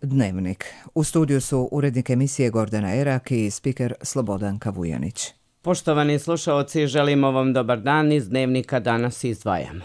Dnevnik. U studiju su urednik emisije Gordana Erak i spiker Slobodanka Vujanić. Poštovani slušaoci, želimo vam dobar dan. Iz Dnevnika danas izdvajamo.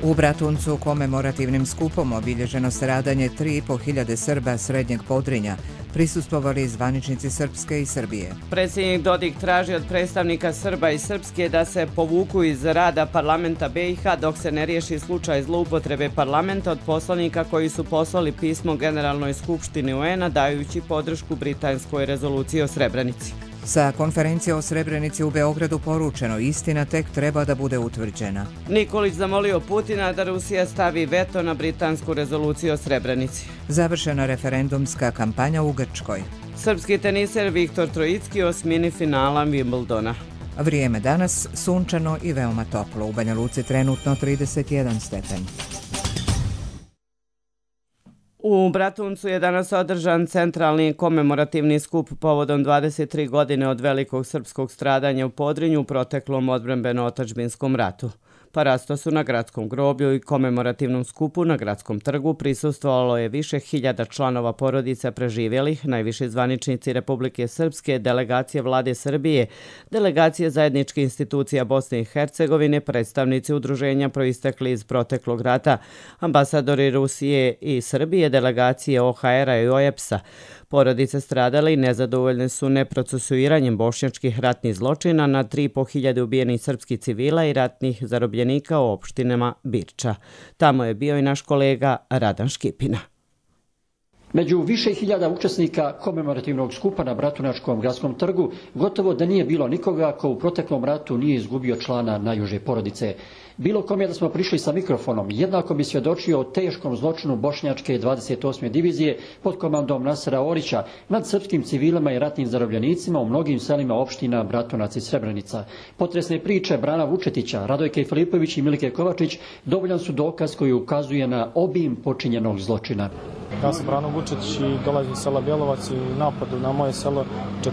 U Bratuncu komemorativnim skupom obilježeno stradanje 3.500 Srba Srednjeg Podrinja. Prisustvovali zvaničnici Srpske i Srbije. Predsjednik Dodik traži od predstavnika Srba i Srpske da se povuku iz rada parlamenta BiH dok se ne riješi slučaj zloupotrebe parlamenta od poslanika koji su poslali pismo Generalnoj skupštini UN-a dajući podršku britanskoj rezoluciji o Srebrenici. Sa konferencije o Srebrenici u Beogradu poručeno, istina tek treba da bude utvrđena. Nikolić zamolio Putina da Rusija stavi veto na britansku rezoluciju o Srebrenici. Završena referendumska kampanja u Grčkoj. Srpski teniser Viktor Trojicki osmini finala Wimbledona. Vrijeme danas sunčano i veoma toplo. U Banja Luci trenutno 31 stepen. U Bratuncu je danas održan centralni komemorativni skup povodom 23 godine od velikog srpskog stradanja u Podrinju u proteklom odbrambeno-otadžbinskom ratu. Parastosu na gradskom groblju i komemorativnom skupu na gradskom trgu prisustvovalo je više hiljada članova porodica preživjelih, najviši zvaničnici Republike Srpske, delegacije vlade Srbije, delegacije zajedničkih institucija Bosne i Hercegovine, predstavnici udruženja proistekli iz proteklog rata, ambasadori Rusije i Srbije, delegacije OHR-a i OEPS-a. Porodice stradale i nezadovoljne su neprocesuiranjem bošnjačkih ratnih zločina na 3.500 ubijenih srpskih civila i ratnih zarobljenika u opštinama Birča. Tamo je bio i naš kolega Radan Škipina. Među više hiljada učesnika komemorativnog skupa na Bratunačkom gradskom trgu gotovo da nije bilo nikoga ko u proteklom ratu nije izgubio člana najuže porodice. Bilo kom je da smo prišli sa mikrofonom, jednako bi svjedočio o teškom zločinu bošnjačke 28. divizije pod komandom Nasera Orića nad srpskim civilima i ratnim zarobljenicima u mnogim selima opština Bratunac i Srebrenica. Potresne priče Brana Vučetića, Radojke Filipović i Milike Kovačić dovoljan su dokaz koji ukazuje na obim počinjenog zločina. Ja sam Brano Vučetić i dolazim iz sela Bjelovac i napadu na moje selo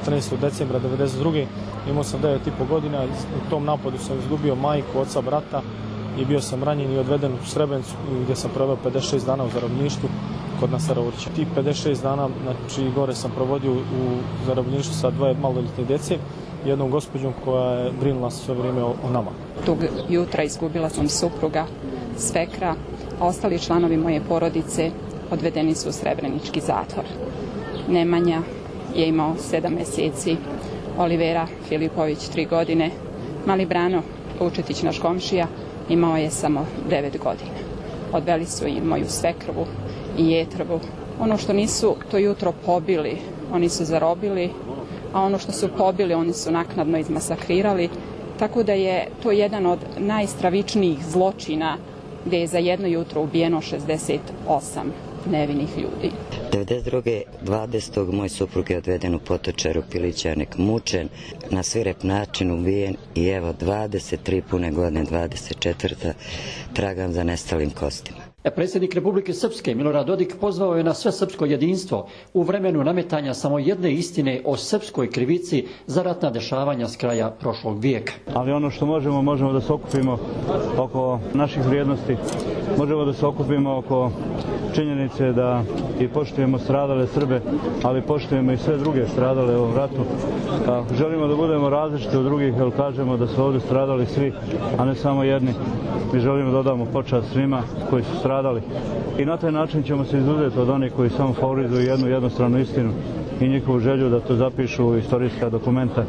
14. decembra 1992. Imao sam 9,5 godina, u tom napadu sam izgubio majku, oca, brata i bio sam ranjen i odveden u Srebrenicu gdje sam proveo 56 dana u zarobljeništvu kod Nasera Orića. Tih 56 dana, znači gore sam provodio u zarobljeništvu sa 2 maloljetne djece, jednom gospođom koja je brinula sve vrijeme o nama. Tog jutra izgubila sam supruga, svekra, a ostali članovi moje porodice odvedeni su u Srebrenički zatvor. Nemanja je imao 7 mjeseci, Olivera Filipović 3 godine, mali Brano Vučetić, naš komšija, imao je samo 9 godina. Odveli su i moju svekrvu i jetrvu. Ono što nisu to jutro pobili, oni su zarobili, a ono što su pobili, oni su naknadno izmasakrirali. Tako da je to jedan od najstravičnijih zločina gdje je za jedno jutro ubijeno 68 nevinih ljudi. 92. 20. moj suprug je odveden u Potočaru, Pilićanek, mučen, na svirep način ubijen i evo 23 pune godine, 24. tragam za nestalim kostima. Predsjednik Republike Srpske Milorad Dodik pozvao je na sve srpsko jedinstvo u vremenu nametanja samo jedne istine o srpskoj krivici za ratna dešavanja s kraja prošlog vijeka. Ali ono što možemo da se okupimo oko naših vrijednosti, možemo da se okupimo oko činjenice da i poštujemo stradale Srbe, ali poštujemo i sve druge stradale u ovom ratu. Želimo da budemo različiti od drugih, jer kažemo da su ovdje stradali svi, a ne samo jedni. Mi želimo da damo počast svima koji su stradali. I na taj način ćemo se izuzeti od onih koji samo favorizuju jednu jednostranu istinu i njihovu želju da to zapišu u istorijska dokumenta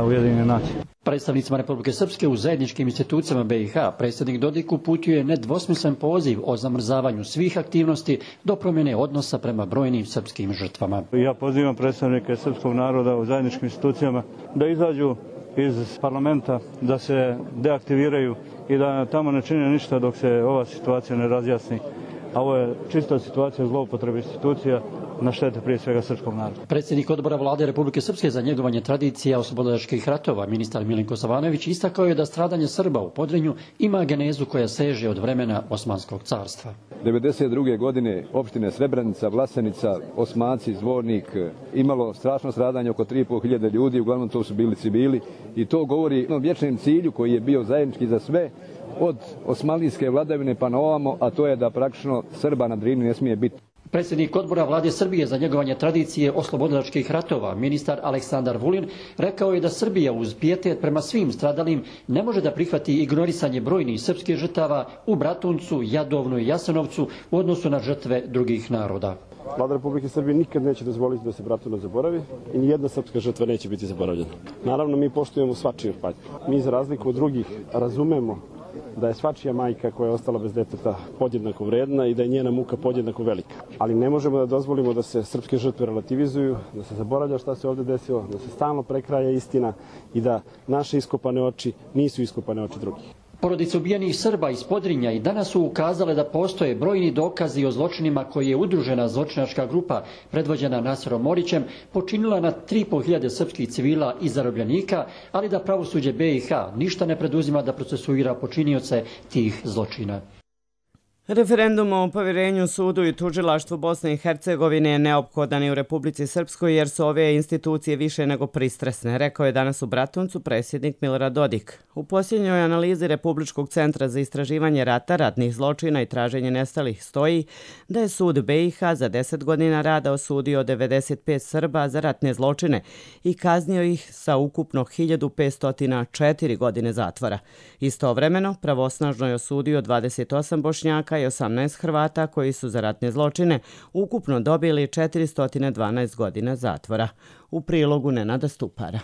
Ujedinjenih nacija. Predstavnicima Republike Srpske u zajedničkim institucijama BiH predsjednik Dodik uputio je nedvosmislen poziv o zamrzavanju svih aktivnosti do promjene odnosa prema brojnim srpskim žrtvama. Ja pozivam predstavnike srpskog naroda u zajedničkim institucijama da izađu iz parlamenta, da se deaktiviraju i da tamo ne čine ništa dok se ova situacija ne razjasni. a ovo je čista situacija zloupotrebe institucija na štete prije svega srpskog naroda. Predsjednik odbora vlade Republike Srpske za njegovanje tradicija oslobodilačkih ratova, ministar Milinko Savanović, istakao je da stradanje Srba u Podrinju ima genezu koja seže od vremena Osmanskog carstva. 1992. godine opštine Srebrenica, Vlasenica, Osmanci, Zvornik imalo strašno stradanje oko 3.500 ljudi, uglavnom to su bili civili i to govori o vječnom cilju koji je bio zajednički za sve od osmanlijske vladavine pa na ovamo, a to je da praktično Srba na Drini ne smije biti. Predsjednik odbora vlade Srbije za njegovanje tradicije oslobodilačkih ratova, ministar Aleksandar Vulin, rekao je da Srbija uz pijetet prema svim stradalim ne može da prihvati ignorisanje brojnih srpskih žrtava u Bratuncu, Jadovnu i Jasenovcu u odnosu na žrtve drugih naroda. Vlada Republike Srbije nikad neće dozvoliti da se Bratunac zaboravi i nijedna srpska žrtva neće biti zaboravljena. Naravno, mi poštujemo svačiju patnju. Mi za razliku od drugih razumemo da je svačija majka koja je ostala bez deteta podjednako vredna i da je njena muka podjednako velika. Ali ne možemo da dozvolimo da se srpske žrtve relativizuju, da se zaboravlja šta se ovdje desilo, da se stalno prekraja istina i da naše iskopane oči nisu iskopane oči drugih. Porodice ubijenih Srba iz Podrinja i danas su ukazale da postoje brojni dokazi o zločinima koje je udružena zločinačka grupa predvođena Naserom Orićem počinila na 3.500 srpskih civila i zarobljenika, ali da pravosuđe BiH ništa ne preduzima da procesuira počinioce tih zločina. Referendum o povjerenju sudu i tužilaštvu Bosne i Hercegovine je neophodan i u Republici Srpskoj jer su ove institucije više nego pristrasne, rekao je danas u Bratuncu predsjednik Milorad Dodik. U posljednjoj analizi Republičkog centra za istraživanje rata, ratnih zločina i traženje nestalih stoji da je sud BiH za 10 godina rada osudio 95 Srba za ratne zločine i kaznio ih sa ukupno 1504 godine zatvora. Istovremeno, pravosnažno je osudio 28 Bošnjaka i 18 Hrvata koji su za ratne zločine ukupno dobili 412 godina zatvora. U prilogu Nenada Stupara.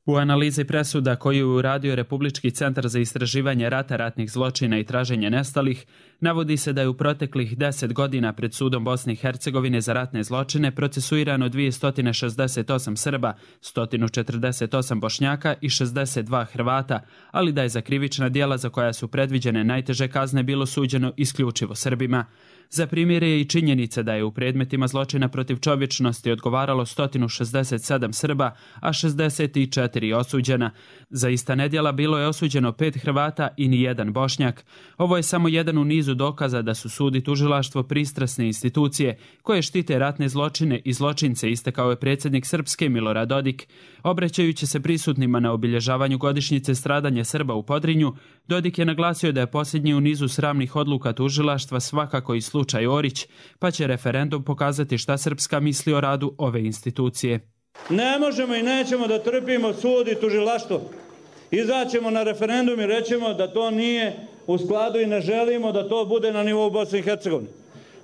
U analizi presuda koju je uradio Republički centar za istraživanje rata, ratnih zločina i traženje nestalih, navodi se da je u proteklih 10 godina pred sudom Bosne i Hercegovine za ratne zločine procesuirano 268 Srba, 148 Bošnjaka i 62 Hrvata, ali da je za krivična djela za koja su predviđene najteže kazne bilo suđeno isključivo Srbima. Za primjer je i činjenica da je u predmetima zločina protiv čovječnosti odgovaralo 167 Srba, a 64 osuđena. Za ista nedjela bilo je osuđeno 5 Hrvata i nijedan Bošnjak. Ovo je samo jedan u nizu dokaza da su sud i tužilaštvo pristrasne institucije koje štite ratne zločine i zločince, istakao je predsjednik Srpske Milorad Dodik. Obraćajući se prisutnima na obilježavanju godišnjice stradanja Srba u Podrinju, Dodik je naglasio da je posljednji u nizu sramnih odluka tužilaštva svakako i slučaj Orić, pa će referendum pokazati šta Srpska misli o radu ove institucije. Ne možemo i nećemo da trpimo sud i tužilaštvo. Izaćemo na referendum i rećemo da to nije u skladu i ne želimo da to bude na nivou Bosne i Hercegovine.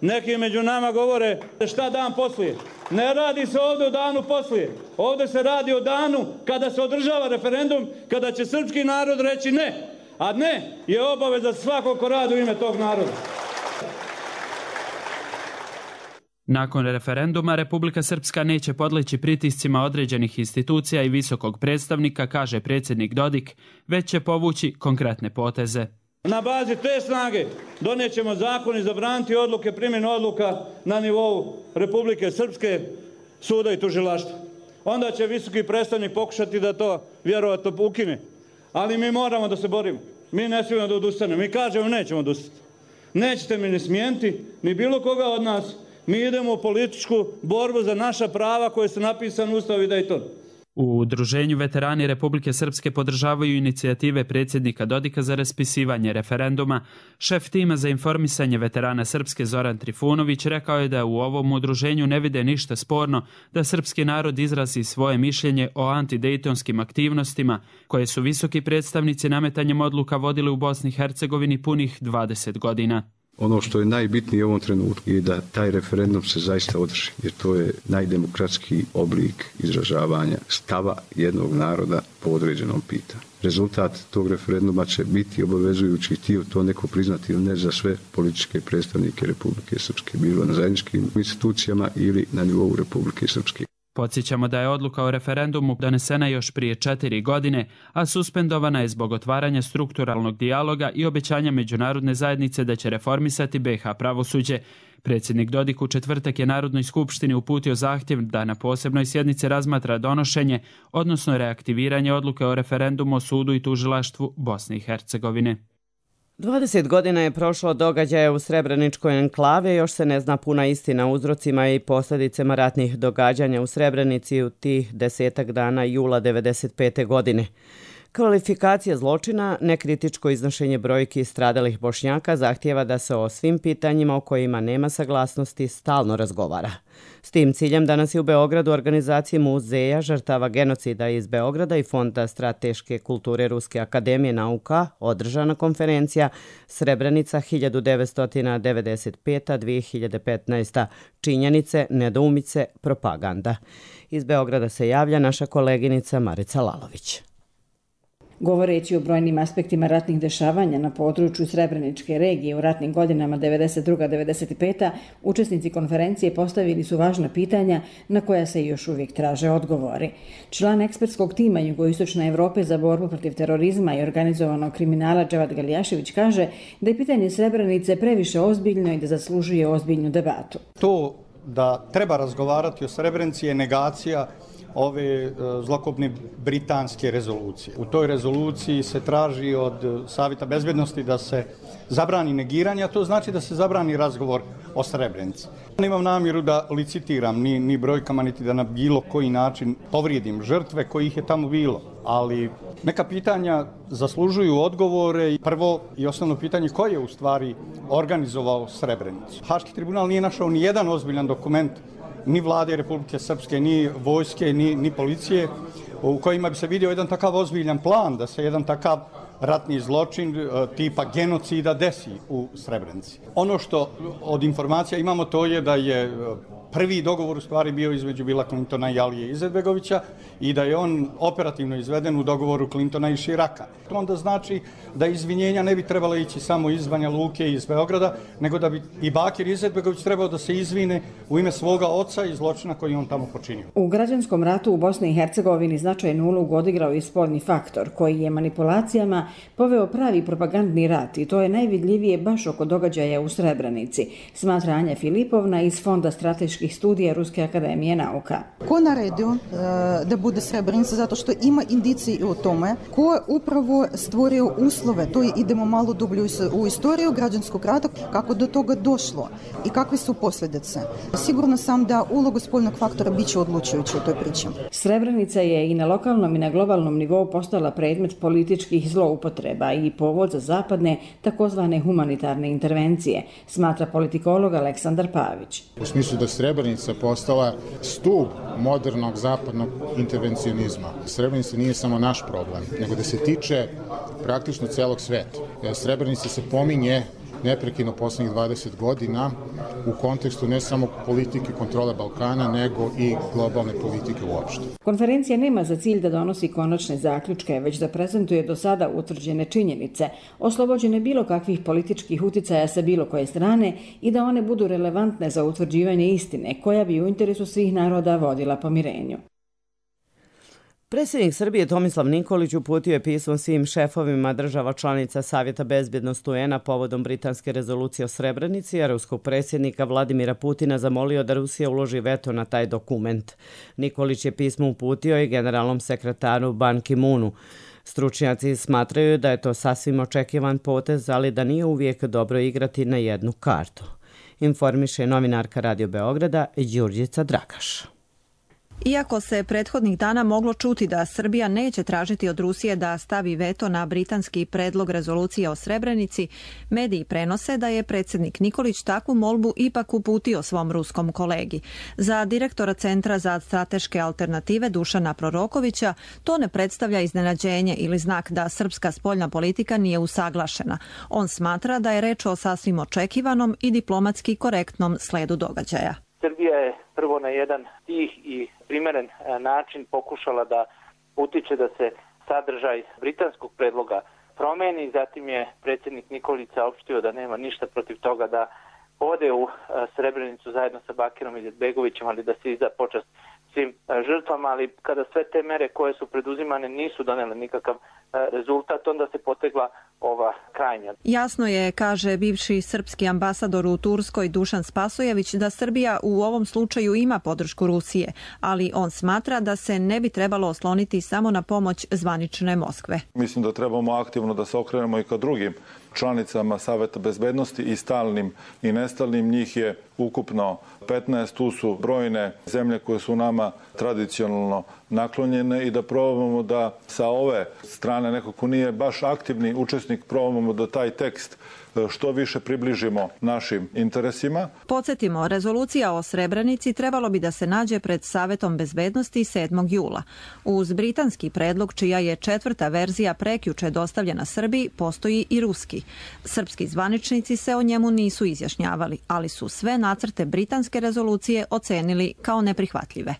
Neki među nama govore šta dan poslije. Ne radi se ovdje o danu poslije. Ovdje se radi o danu kada se održava referendum, kada će srpski narod reći ne. A ne je obaveza svakog ko radi u ime tog naroda. Nakon referenduma, Republika Srpska neće podleći pritiscima određenih institucija i visokog predstavnika, kaže predsjednik Dodik, već će povući konkretne poteze. Na bazi te snage donijećemo zakon i zabraniti odluke, primjenu odluka na nivou Republike Srpske, suda i tužilaštva. Onda će visoki predstavnik pokušati da to vjerovatno ukine. Ali mi moramo da se borimo. Mi ne smijemo da odustanemo. Mi kažemo nećemo odustati. Nećete mi ni smijeniti, ni bilo koga od nas. Mi idemo u političku borbu za naša prava koje su napisane u Ustavu i Daytonu. U Udruženju veterani Republike Srpske podržavaju inicijative predsjednika Dodika za raspisivanje referenduma. Šef tima za informisanje veterana Srpske Zoran Trifunović rekao je da u ovom udruženju ne vide ništa sporno da srpski narod izrazi svoje mišljenje o antidejtonskim aktivnostima koje su visoki predstavnici nametanjem odluka vodili u Bosni i Hercegovini punih 20 godina. Ono što je najbitnije u ovom trenutku je da taj referendum se zaista održi, jer to je najdemokratskiji oblik izražavanja stava jednog naroda po određenom pitanju. Rezultat tog referenduma će biti obavezujući, htio to neko priznati ili ne, za sve političke predstavnike Republike Srpske, bilo na zajedničkim institucijama ili na nivou Republike Srpske. Podsjećamo da je odluka o referendumu donesena još prije 4 godine, a suspendovana je zbog otvaranja strukturalnog dijaloga i obećanja međunarodne zajednice da će reformisati BiH pravosuđe. Predsjednik Dodik u četvrtak je Narodnoj skupštini uputio zahtjev da na posebnoj sjednici razmatra donošenje, odnosno reaktiviranje odluke o referendumu o sudu i tužilaštvu Bosne i Hercegovine. 20 godina je prošlo od događaja u Srebreničkoj enklave, još se ne zna puna istina o uzrocima i posljedicama ratnih događanja u Srebrenici u tih 10 dana jula 1995. godine. Kvalifikacija zločina, nekritičko iznošenje brojki stradalih Bošnjaka zahtijeva da se o svim pitanjima o kojima nema saglasnosti stalno razgovara. S tim ciljem danas je u Beogradu organizaciji Muzeja žrtava genocida iz Beograda i Fonda strateške kulture Ruske akademije nauka održana konferencija Srebrenica 1995-2015. Činjenice, nedoumice, propaganda. Iz Beograda se javlja naša koleginica Marica Lalović. Govoreći o brojnim aspektima ratnih dešavanja na području Srebreničke regije u ratnim godinama 92-95, učesnici konferencije postavili su važna pitanja na koja se još uvijek traže odgovori. Član ekspertskog tima Jugoistočne Evrope za borbu protiv terorizma i organizovanog kriminala Dževad Galjašević kaže da je pitanje Srebrenice previše ozbiljno i da zaslužuje ozbiljnu debatu. To da treba razgovarati o Srebrenici je negacija ove zlokobne britanske rezolucije. U toj rezoluciji se traži od Savjeta bezbednosti da se zabrani negiranje, a to znači da se zabrani razgovor o Srebrenici. Nemam namjeru da licitiram ni brojkama, niti da na bilo koji način povrijedim žrtve kojih je tamo bilo, ali neka pitanja zaslužuju odgovore. Prvo i osnovno pitanje, ko je u stvari organizovao Srebrenicu? Haški tribunal nije našao ni jedan ozbiljan dokument ni vlade Republike Srpske, ni vojske, ni policije, u kojima bi se vidio jedan takav ozbiljan plan da se jedan takav ratni zločin tipa genocida desi u Srebrenici. Ono što od informacija imamo to je da je prvi dogovor u stvari bio između Billa Clintona i Alije Izetbegovića i da je on operativno izveden u dogovoru Clintona i Širaka. To onda znači da izvinjenja ne bi trebalo ići samo iz Banja Luke i iz Beograda, nego da bi i Bakir Izetbegović trebao da se izvine u ime svoga oca i zločina koji on tamo počinio. U građanskom ratu u Bosni i Hercegovini značajnu ulogu odigrao i spoljni faktor koji je manipulacijama poveo pravi propagandni rat i to je najvidljivije baš oko događaja u Srebrenici, smatra Anja Filipovna iz Fonda strateških studija Ruske akademije nauka. Ko naredio da bude Srebrenica? Zato što ima indicije o tome ko je upravo stvorio uslove. To idemo malo dublje u istoriju građanskog rata, kako do toga došlo i kakve su posljedice. Sigurno sam da uloga spoljnog faktora biće odlučujuća u toj priči. Srebrenica je i na lokalnom i na globalnom nivou postala predmet političkih zloupotreba i povod za zapadne takozvane humanitarne intervencije, smatra politikolog Aleksandar Pavić. U smislu da Srebrenica postala stup modernog zapadnog intervencionizma. Srebrenica nije samo naš problem, nego da se tiče praktično celog sveta. Srebrenica se pominje neprekidno poslednjih 20 godina u kontekstu ne samo politike kontrole Balkana, nego i globalne politike uopšte. Konferencija nema za cilj da donosi konačne zaključke, već da prezentuje do sada utvrđene činjenice, oslobođene bilo kakvih političkih uticaja sa bilo koje strane i da one budu relevantne za utvrđivanje istine, koja bi u interesu svih naroda vodila pomirenju. Predsjednik Srbije Tomislav Nikolić uputio je pismo svim šefovima država članica Savjeta bezbednosti UN-a povodom britanske rezolucije o Srebrenici, a ruskog predsjednika Vladimira Putina zamolio da Rusija uloži veto na taj dokument. Nikolić je pismo uputio i generalnom sekretaru Ban Ki-moonu. Stručnjaci smatraju da je to sasvim očekivan potez, ali da nije uvijek dobro igrati na jednu kartu. Informiše novinarka Radio Beograda Đurđica Dragaš. Iako se prethodnih dana moglo čuti da Srbija neće tražiti od Rusije da stavi veto na britanski predlog rezolucije o Srebrenici, mediji prenose da je predsjednik Nikolić takvu molbu ipak uputio svom ruskom kolegi. Za direktora Centra za strateške alternative Dušana Prorokovića to ne predstavlja iznenađenje ili znak da srpska spoljna politika nije usaglašena. On smatra da je reč o sasvim očekivanom i diplomatski korektnom sledu događaja. Srbija je prvo na jedan tih i primeren način pokušala da utiče da se sadržaj britanskog predloga promeni. Zatim je predsjednik Nikolić saopštio da nema ništa protiv toga da ode u Srebrenicu zajedno sa Bakirom Izetbegovićem, ali da se izda počast svim žrtvama, ali kada sve te mere koje su preduzimane nisu donele nikakav rezultat, onda se potegla ova krajnja. Jasno je, kaže bivši srpski ambasador u Turskoj Dušan Spasojević, da Srbija u ovom slučaju ima podršku Rusije, ali on smatra da se ne bi trebalo osloniti samo na pomoć zvanične Moskve. Mislim da trebamo aktivno da se okrenemo i ka drugim članicama Saveta bezbednosti i stalnim i nestalnim. Njih je ukupno 15, tu su brojne zemlje koje su nama tradicionalno naklonjene i da probamo da sa ove strane neko ko nije baš aktivni učesnik probamo da taj tekst što više približimo našim interesima. Podsjetimo, rezolucija o Srebrenici trebalo bi da se nađe pred Savetom bezbednosti 7. jula. Uz britanski predlog, čija je 4. verzija prekjuče dostavljena Srbiji, postoji i ruski. Srpski zvaničnici se o njemu nisu izjašnjavali, ali su sve nacrte britanske rezolucije ocenili kao neprihvatljive.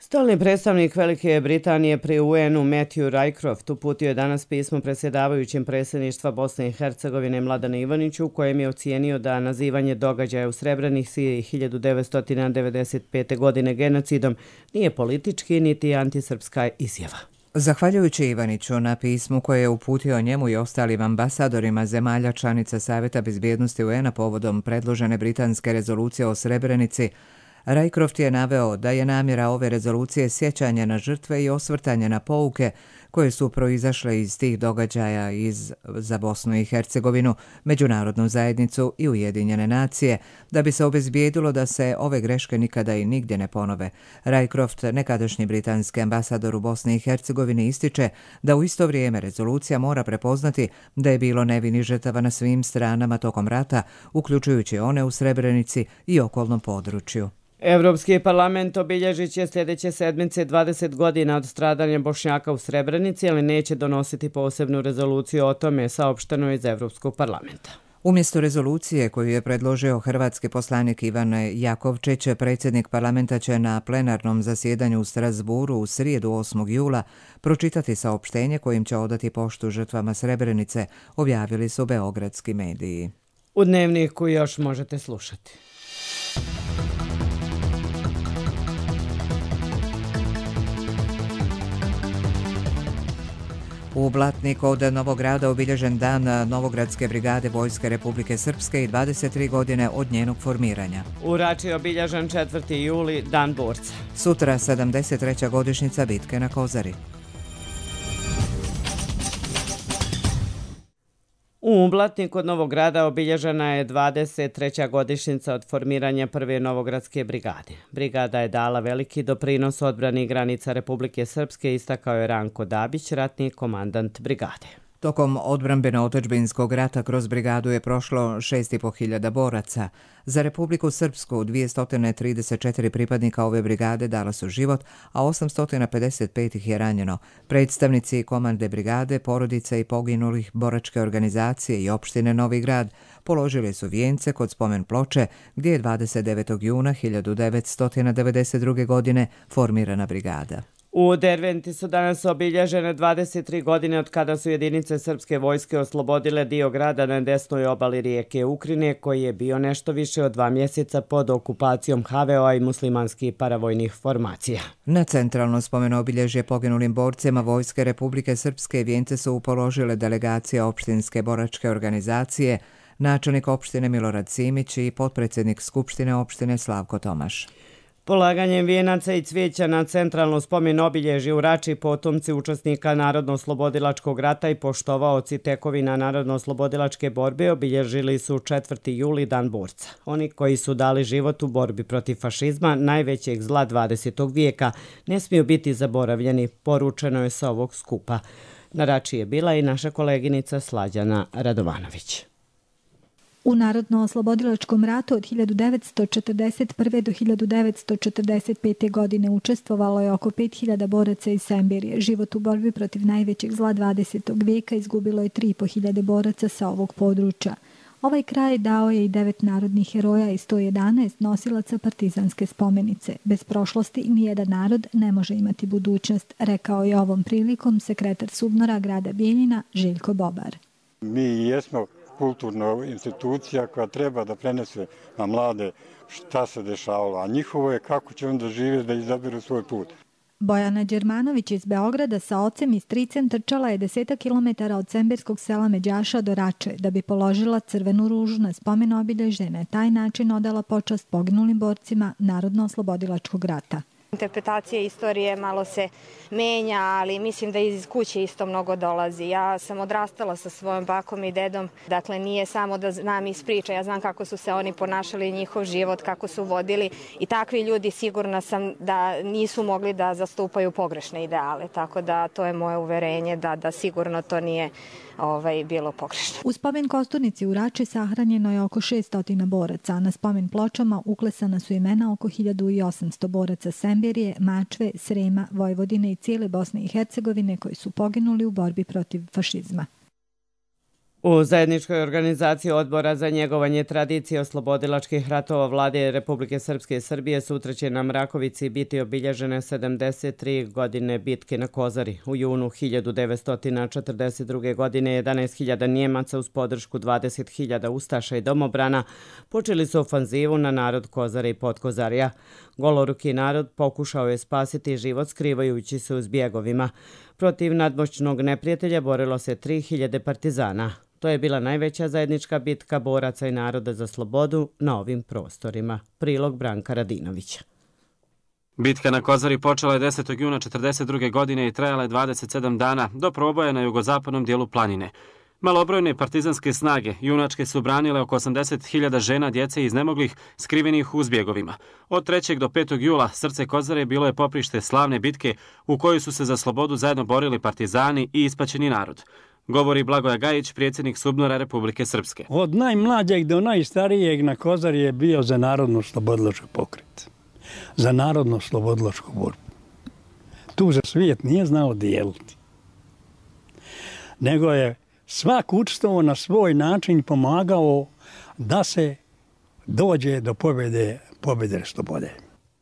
Stalni predstavnik Velike Britanije pri UN-u Matthew Rycroft uputio je danas pismo predsjedavajućem predsjedništva Bosne i Hercegovine Mladenu Ivaniću, u kojem je ocijenio da nazivanje događaja u Srebrenici 1995. godine genocidom nije politički niti antisrpska izjava. Zahvaljujući Ivaniću na pismu koje je uputio njemu i ostalim ambasadorima zemalja članica Saveta bezbjednosti UN-a povodom predložene britanske rezolucije o Srebrenici, Rycroft je naveo da je namjera ove rezolucije sjećanje na žrtve i osvrtanje na pouke koje su proizašle iz tih događaja za Bosnu i Hercegovinu, međunarodnu zajednicu i Ujedinjene nacije, da bi se obezbijedilo da se ove greške nikada i nigdje ne ponove. Rycroft, nekadašnji britanski ambasador u Bosni i Hercegovini, ističe da u isto vrijeme rezolucija mora prepoznati da je bilo nevinih žrtava na svim stranama tokom rata, uključujući one u Srebrenici i okolnom području. Evropski parlament obilježit će sljedeće sedmice 20 godina od stradanja Bošnjaka u Srebrenici, ali neće donositi posebnu rezoluciju o tome, saopšteno iz Evropskog parlamenta. Umjesto rezolucije koju je predložio hrvatski poslanik Ivan Jakovčić, predsjednik parlamenta će na plenarnom zasjedanju u Strasburu u srijedu 8. jula pročitati saopštenje kojim će odati poštu žrtvama Srebrenice, objavili su beogradski mediji. U Dnevniku još možete slušati. U Blatniku od Novograda obilježen dan Novogradske brigade Vojske Republike Srpske i 23 godine od njenog formiranja. U Rači je obilježen 4. juli, Dan borca. Sutra 73. godišnjica bitke na Kozari. U Blatniku od Novograda obilježena je 23. godišnjica od formiranja prve Novogradske brigade. Brigada je dala veliki doprinos odbrani granica Republike Srpske, istakao je Ranko Dabić, ratni komandant brigade. Tokom odbrambeno-otadžbinskog rata kroz brigadu je prošlo 6.500 boraca. Za Republiku Srpsku 234 pripadnika ove brigade dala su život, a 855 ih je ranjeno. Predstavnici komande brigade, porodice i poginulih boračke organizacije i opštine Novi Grad položili su vijence kod spomen ploče gdje je 29. juna 1992. godine formirana brigada. U Derventi su danas obilježene 23 godine od kada su jedinice srpske vojske oslobodile dio grada na desnoj obali rijeke Ukrine, koji je bio nešto više od 2 mjeseca pod okupacijom HVO-a i muslimanskih paravojnih formacija. Na centralno spomeno obilježje poginulim borcima Vojske Republike Srpske vijence su položile delegacija opštinske boračke organizacije, načelnik opštine Milorad Simić i potpredsjednik Skupštine opštine Slavko Tomaš. Polaganjem vijenaca i cvijeća na centralno spomen obilježje u Rači potomci učesnika Narodno-oslobodilačkog rata i poštovaoci tekovina Narodno-oslobodilačke borbe obilježili su 4. juli, Dan borca. Oni koji su dali život u borbi protiv fašizma, najvećeg zla 20. vijeka, ne smiju biti zaboravljeni, poručeno je sa ovog skupa. Na Rači je bila i naša koleginica Slađana Radovanović. U Narodno-oslobodilačkom ratu od 1941. do 1945. godine učestvovalo je oko 5000 boraca iz Sembirije. Život u borbi protiv najvećeg zla 20. vijeka izgubilo je 3500 boraca sa ovog područja. Ovaj kraj dao je i 9 narodnih heroja i 111 nosilaca partizanske spomenice. Bez prošlosti nijedan narod ne može imati budućnost, rekao je ovom prilikom sekretar SUBNOR-a grada Bijeljina Željko Bobar. Mi jesmo kulturna institucija koja treba da prenese na mlade šta se dešavalo, a njihovo je kako će onda živjeti da izaberu svoj put. Bojana Đermanović iz Beograda sa ocem i stricem trčala je 10 kilometara od semberskog sela Međaša do Rače da bi položila crvenu ružu na spomen obilježje i na taj način odala počast poginulim borcima Narodno-oslobodilačkog rata. Interpretacija istorije malo se menja, ali mislim da iz kuće isto mnogo dolazi. Ja sam odrastala sa svojom bakom i dedom, dakle nije samo da znam iz priča, ja znam kako su se oni ponašali, njihov život, kako su vodili i takvi ljudi sigurna sam da nisu mogli da zastupaju pogrešne ideale, tako da to je moje uverenje da sigurno to nije bilo pogrešno. U spomen kosturnici u Rači sahranjeno je oko 600 boraca, a na spomen pločama uklesana su imena oko 1800 boraca Semberije, Mačve, Srema, Vojvodine i cijele Bosne i Hercegovine koji su poginuli u borbi protiv fašizma. U zajedničkoj organizaciji Odbora za njegovanje tradicije oslobodilačkih ratova Vlade Republike Srpske i Srbije sutra će na Mrakovici biti obilježene 73 godine bitke na Kozari. U junu 1942. godine 11.000 Njemaca uz podršku 20.000 ustaša i domobrana počeli su ofanzivu na narod Kozare i Podkozarja. Goloruki narod pokušao je spasiti život skrivajući se u zbjegovima. Protiv nadmoćnog neprijatelja borilo se 3.000 partizana. To je bila najveća zajednička bitka boraca i naroda za slobodu na ovim prostorima. Prilog Branka Radinovića. Bitka na Kozari počela je 10. juna 1942. godine i trajala je 27 dana do proboja na jugozapadnom dijelu planine. Malobrojne partizanske snage junačke su branile oko 80.000 žena, djece i iznemoglih skrivenih u zbjegovima. Od 3. do 5. jula srce Kozare bilo je poprište slavne bitke u kojoj su se za slobodu zajedno borili partizani i ispaćeni narod. Govori Blagoje Gajić, predsjednik SUBNOR-a Republike Srpske. Od najmlađeg do najstarijeg na Kozari je bio za narodno-oslobodilački pokret. Za narodno-oslobodilačku borbu. Tu za svijet nije znao dijeliti. Nego je svak učestvovao na svoj način pomagao da se dođe do pobjede slobode.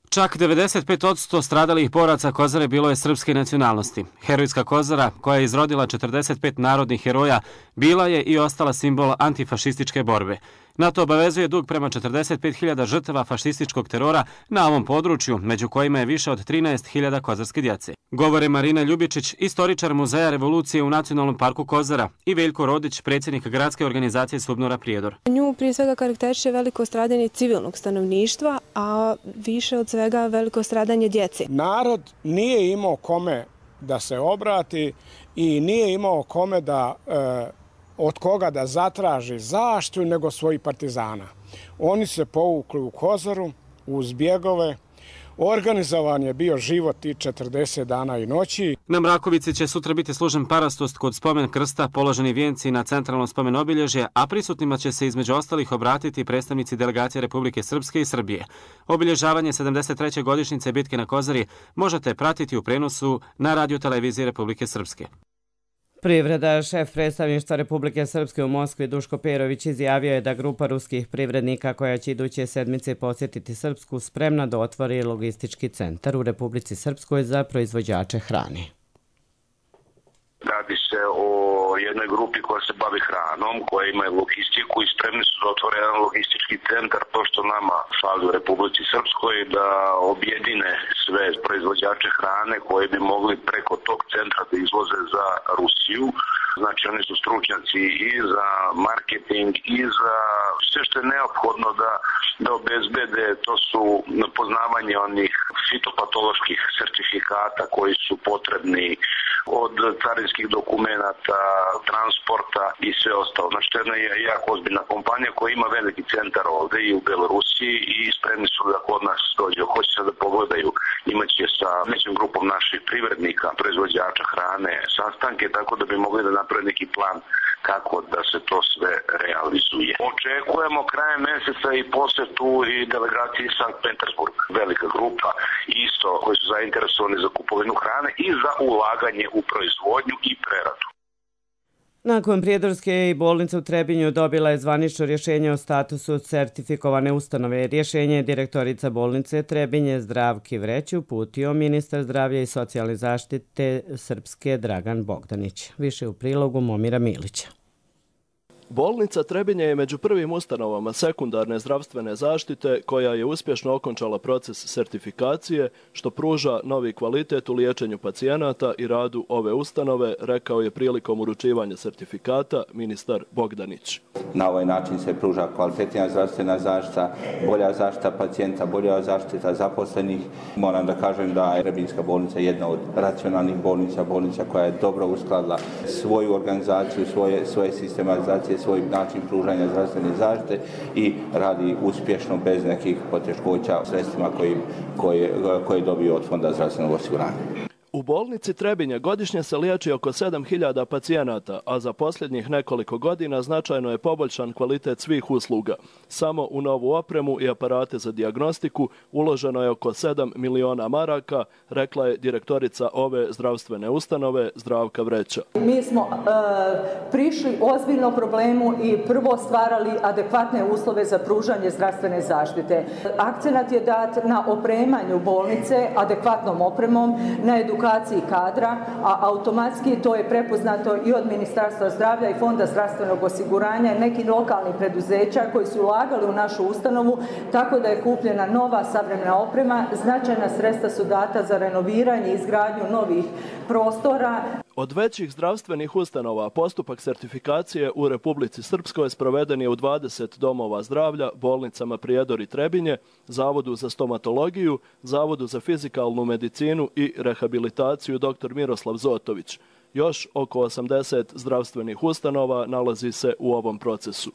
Čak 95% stradalih boraca Kozare bilo je srpske nacionalnosti. Herojska Kozara, koja je izrodila 45 narodnih heroja, bila je i ostala simbol antifašističke borbe. Na to obavezuje dug prema 45.000 žrtava fašističkog terora na ovom području, među kojima je više od 13.000 kozarske djece. Govore Marina Ljubičić, istoričar Muzeja revolucije u Nacionalnom parku Kozara, i Veljko Rodić, predsjednik gradske organizacije SUBNOR-a Prijedor. Nju prije svega karakteriše veliko stradanje civilnog stanovništva, a više od svega veliko stradanje djece. Narod nije imao kome da se obrati i nije imao kome od koga da zatraži zaštitu nego svojih partizana. Oni se povukli u Kozaru, u zbjegove. Organizovan je bio život i 40 dana i noći. Na Mrakovici će sutra biti služen parastost kod spomen krsta, položeni vijenci na centralnom spomen obilježje, a prisutnima će se između ostalih obratiti predstavnici delegacije Republike Srpske i Srbije. Obilježavanje 73. godišnjice bitke na Kozari možete pratiti u prenosu na radioteleviziji Republike Srpske. Privreda, šef predstavništva Republike Srpske u Moskvi Duško Perović izjavio je da grupa ruskih privrednika koja će iduće sedmice posjetiti Srpsku spremna da otvori logistički centar u Republici Srpskoj za proizvođače hrane. Radi se o jednoj grupi koja se bavi hranom, koja ima logistiku i spremni su da otvore jedan logistički centar, to što nama fali u Republici Srpskoj, da objedine sve proizvođače hrane koji bi mogli preko tog centra da izvoze za Rusiju. Znači oni su stručnjaci i za marketing i za sve što je neophodno da obezbede, to su poznavanje onih fitopatoloških sertifikata koji su potrebni, od carinskih dokumenata, transporta i sve ostalo. Znači, to je jako ozbiljna kompanija koja ima veliki centar ovde i u Belorusiji i spremni su da kod nas dođe. Hoće se da pogledaju, imaće sa većim grupom naših privrednika, proizvođača hrane, sastanke, tako da bi mogli da naprave neki plan kako da se to sve realizuje. Očekujemo krajem meseca i posetu i delegaciji Sankt Petersburg, velika grupa isto koji su zainteresovani za kupovinu hrane i za ulaganje u proizvodnju i preradu. Nakon Prijedorske i bolnica u Trebinju dobila je zvanično rješenje o statusu certifikovane ustanove. Rješenje je direktorica bolnice Trebinje Zdravki Vreć uputio ministar zdravlja i socijalne zaštite Srpske Dragan Bogdanić. Više u prilogu Momira Milića. Bolnica Trebinje je među prvim ustanovama sekundarne zdravstvene zaštite koja je uspješno okončala proces sertifikacije, što pruža novi kvalitet u liječenju pacijenata i radu ove ustanove, rekao je prilikom uručivanja sertifikata ministar Bogdanić. Na ovaj način se pruža kvalitetnija zdravstvena zaštita, bolja zaštita pacijenta, bolja zaštita zaposlenih. Moram da kažem da je Trebinjska bolnica jedna od racionalnih bolnica koja je dobro uskladila svoju organizaciju, svoje sistematizacije, svoj način pružanja zdravstvene zaštite i radi uspješno bez nekih poteškoća sredstvima koje dobio od Fonda zdravstvenog osiguranja. U bolnici Trebinje godišnje se liječi oko 7.000 pacijenata, a za posljednjih nekoliko godina značajno je poboljšan kvalitet svih usluga. Samo u novu opremu i aparate za dijagnostiku uloženo je oko 7 miliona maraka, rekla je direktorica ove zdravstvene ustanove Zdravka Vreća. Mi smo prišli ozbiljno problemu i prvo stvarali adekvatne uslove za pružanje zdravstvene zaštite. Akcenat je dat na opremanju bolnice adekvatnom opremom, na edukaciji kadra, a automatski to je prepoznato i od Ministarstva zdravlja i Fonda zdravstvenog osiguranja i nekih lokalnih preduzeća koji su ulagali u našu ustanovu, tako da je kupljena nova savremena oprema. Značajna sredstva su data za renoviranje i izgradnju novih prostora. Od većih zdravstvenih ustanova postupak sertifikacije u Republici Srpskoj sproveden je u 20 domova zdravlja, bolnicama Prijedor i Trebinje, Zavodu za stomatologiju, Zavodu za fizikalnu medicinu i rehabilitaciju dr. Miroslav Zotović. Još oko 80 zdravstvenih ustanova nalazi se u ovom procesu.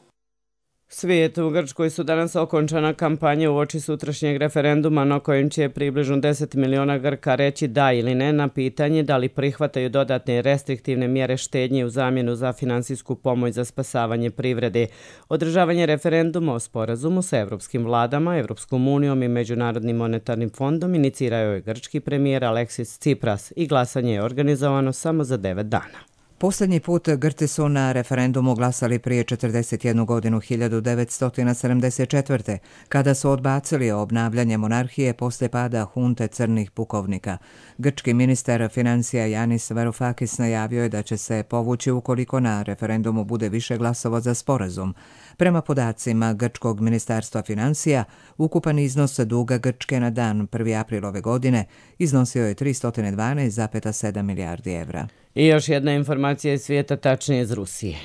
Svijet u Grčkoj su danas okončana kampanja uoči sutrašnjeg referenduma na kojem će približno 10 miliona Grka reći da ili ne na pitanje da li prihvataju dodatne restriktivne mjere štednje u zamjenu za finansijsku pomoć za spasavanje privrede. Održavanje referenduma o sporazumu sa evropskim vladama, Evropskom unijom i Međunarodnim monetarnim fondom inicirao je grčki premijer Aleksis Tsipras i glasanje je organizovano samo za 9 dana. Posljednji put Grci su na referendumu glasali prije 41 godinu 1974. kada su odbacili obnavljanje monarhije posle pada hunte crnih pukovnika. Grčki ministar financija Yanis Varoufakis najavio je da će se povući ukoliko na referendumu bude više glasova za sporazum. Prema podacima Grčkog ministarstva financija, ukupan iznos duga Grčke na dan 1. april ove godine iznosio je 312,7 milijardi evra. I još jedna informacija iz svijeta, tačnije iz Rusije.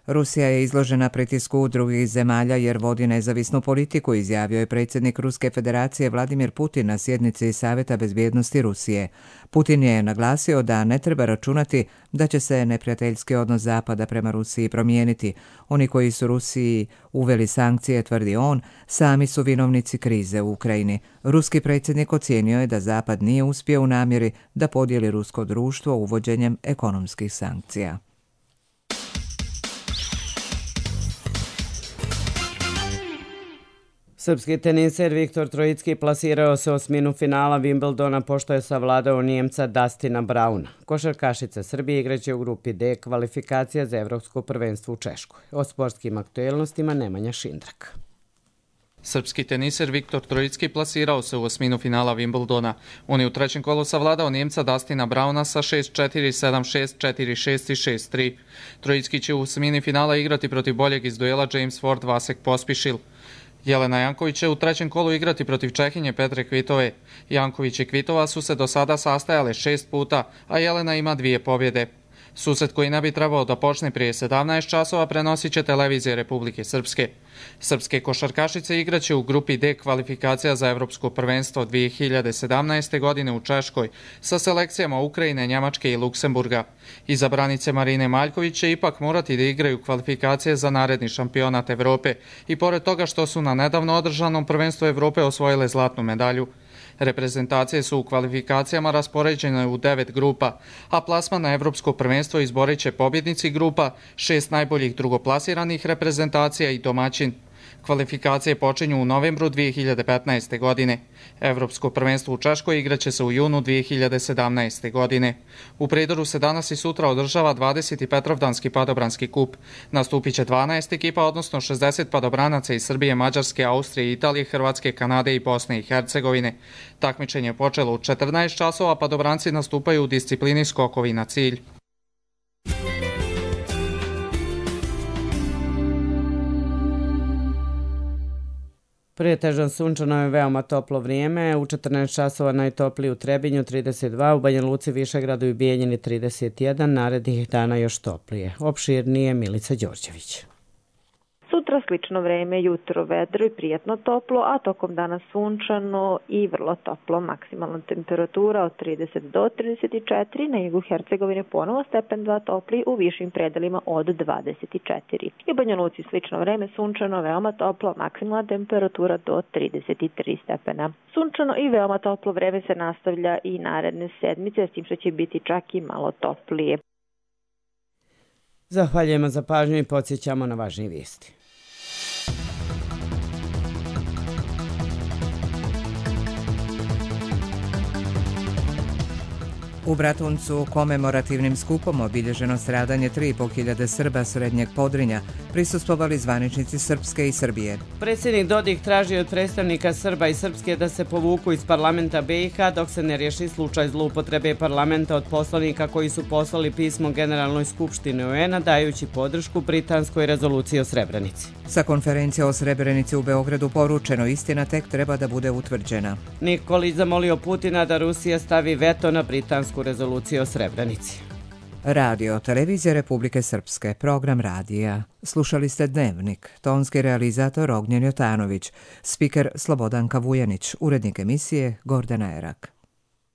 Rusija je izložena pritisku drugih zemalja jer vodi nezavisnu politiku, izjavio je predsjednik Ruske federacije Vladimir Putin na sjednici Saveta bezbjednosti Rusije. Putin je naglasio da ne treba računati da će se neprijateljski odnos Zapada prema Rusiji promijeniti. Oni koji su Rusiji uveli sankcije, tvrdi on, sami su vinovnici krize u Ukrajini. Ruski predsjednik ocijenio je da Zapad nije uspio u namjeri da podijeli rusko društvo uvođenjem ekonomskih sankcija. Srpski teniser Viktor Trojicki plasirao se u osminu finala Wimbledona pošto je savladao Nijemca Dustina Brauna. Košarkašica Srbije igraće u grupi D kvalifikacija za Evropsko prvenstvo u Češkoj. O sportskim aktuelnostima Nemanja Šindrak. Srpski teniser Viktor Trojicki plasirao se u osminu finala Wimbledona. On je u trećem kolu savladao Nijemca Dustina Brauna sa 6-4, 7-6, 4-6 i 6-3. Trojicki će u osmini finala igrati protiv boljeg iz duela James Ford Vasek Pospišil. Jelena Janković će u trećem kolu igrati protiv Čehinje Petre Kvitove. Janković i Kvitova su se do sada sastajale 6 puta, a Jelena ima 2 pobjede. Susret koji ne bi trebao da počne prije 17 časova prenosit će televizije Republike Srpske. Srpske košarkašice igraće u grupi D kvalifikacija za Evropsko prvenstvo 2017. godine u Češkoj sa selekcijama Ukrajine, Njemačke i Luksemburga. Izabranice Marine Maljković će ipak morati da igraju kvalifikacije za naredni šampionat Evrope i pored toga što su na nedavno održanom prvenstvu Evrope osvojile zlatnu medalju. Reprezentacije su u kvalifikacijama raspoređene u 9 grupa, a plasman na Evropsko prvenstvo izborit će pobjednici grupa, 6 najboljih drugoplasiranih reprezentacija i domaćin. Kvalifikacije počinju u novembru 2015. godine. Evropsko prvenstvo u Češkoj igraće se u junu 2017. godine. U Prijedoru se danas i sutra održava 20. Petrovdanski padobranski kup. Nastupit će 12 ekipa, odnosno 60 padobranaca iz Srbije, Mađarske, Austrije, Italije, Hrvatske, Kanade i Bosne i Hercegovine. Takmičenje je počelo u 14 časova, padobranci nastupaju u disciplini skokovi na cilj. Pretežno sunčano je veoma toplo vrijeme, u 14 časova najtopliji u Trebinju 32, u Banja Luci, Višegradu i Bijeljini 31, narednih dana još toplije. Opširnije Milica Đorđević. Sutra slično vreme, jutro vedro i prijatno toplo, a tokom dana sunčano i vrlo toplo. Maksimalna temperatura od 30 do 34, na jugu Hercegovine ponovo stepen 2 topli, u višim predelima od 24. I u Banja Luci slično vreme, sunčano, veoma toplo, maksimalna temperatura do 33 stepena. Sunčano i veoma toplo vreme se nastavlja i naredne sedmice, s tim što će biti čak i malo toplije. Zahvaljujemo za pažnju i podsjećamo na važnije vijesti. U Bratuncu komemorativnim skupom obilježeno stradanje 3.500 Srba Srednjeg Podrinja, prisustvovali zvaničnici Srpske i Srbije. Predsjednik Dodik traži od predstavnika Srba i Srpske da se povuku iz parlamenta BiH dok se ne riješi slučaj zloupotrebe parlamenta od poslanika koji su poslali pismo Generalnoj skupštini UN-a dajući podršku britanskoj rezoluciji o Srebrenici. Sa konferencije o Srebrenici u Beogradu poručeno, istina tek treba da bude utvrđena. Nikolić zamolio Putina da Rusija stavi veto na britansku rezoluciju o Srebrenici. Radio, televizija Republike Srpske, program radija. Slušali ste Dnevnik, tonski realizator Ognjen Jotanović, spiker Slobodanka Vujanić, urednik emisije Gordana Erak.